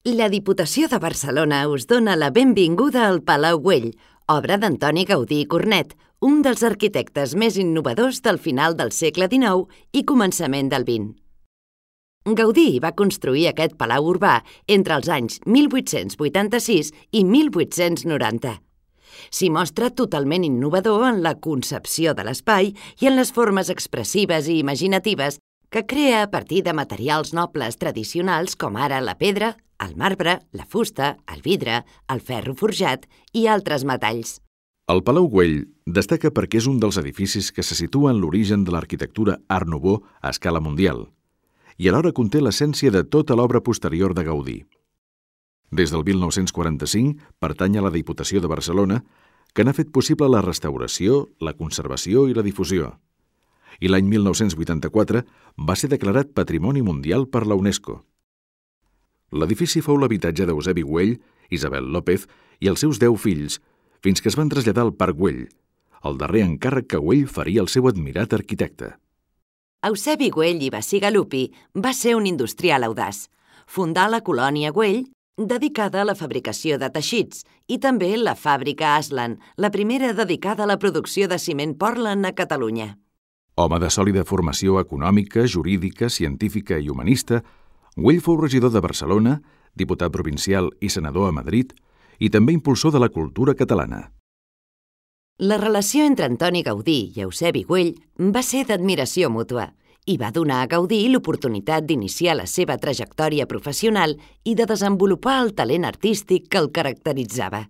La Diputació de Barcelona us dona la benvinguda al Palau Güell, obra d'Antoni Gaudí i Cornet, un dels arquitectes més innovadors del final del segle XIX i començament del XX. Gaudí va construir aquest palau urbà entre els anys 1886 i 1890. S'hi mostra totalment innovador en la concepció de l'espai i en les formes expressives i imaginatives que crea a partir de materials nobles tradicionals com ara la pedra, el marbre, la fusta, el vidre, el ferro forjat i altres metalls. El Palau Güell destaca perquè és un dels edificis que se situa en l'origen de l'arquitectura Art Nouveau a escala mundial i alhora conté l'essència de tota l'obra posterior de Gaudí. Des del 1945 pertany a la Diputació de Barcelona, que n'ha fet possible la restauració, la conservació i la difusió. I l'any 1984 va ser declarat Patrimoni Mundial per la UNESCO. L'edifici fou l'habitatge d'Eusebi Güell, Isabel López i els seus 10 fills, fins que es van traslladar al Parc Güell, el darrer encàrrec que Güell faria al seu admirat arquitecte. Eusebi Güell i Bacigalupi va ser un industrial audaç. Fundà la colònia Güell, dedicada a la fabricació de teixits, i també la fàbrica Aslan, la primera dedicada a la producció de ciment Portland a Catalunya. Home de sòlida formació econòmica, jurídica, científica i humanista, Güell fou regidor de Barcelona, diputat provincial i senador a Madrid, i també impulsor de la cultura catalana. La relació entre Antoni Gaudí i Eusebi Güell va ser d'admiració mútua i va donar a Gaudí l'oportunitat d'iniciar la seva trajectòria professional i de desenvolupar el talent artístic que el caracteritzava.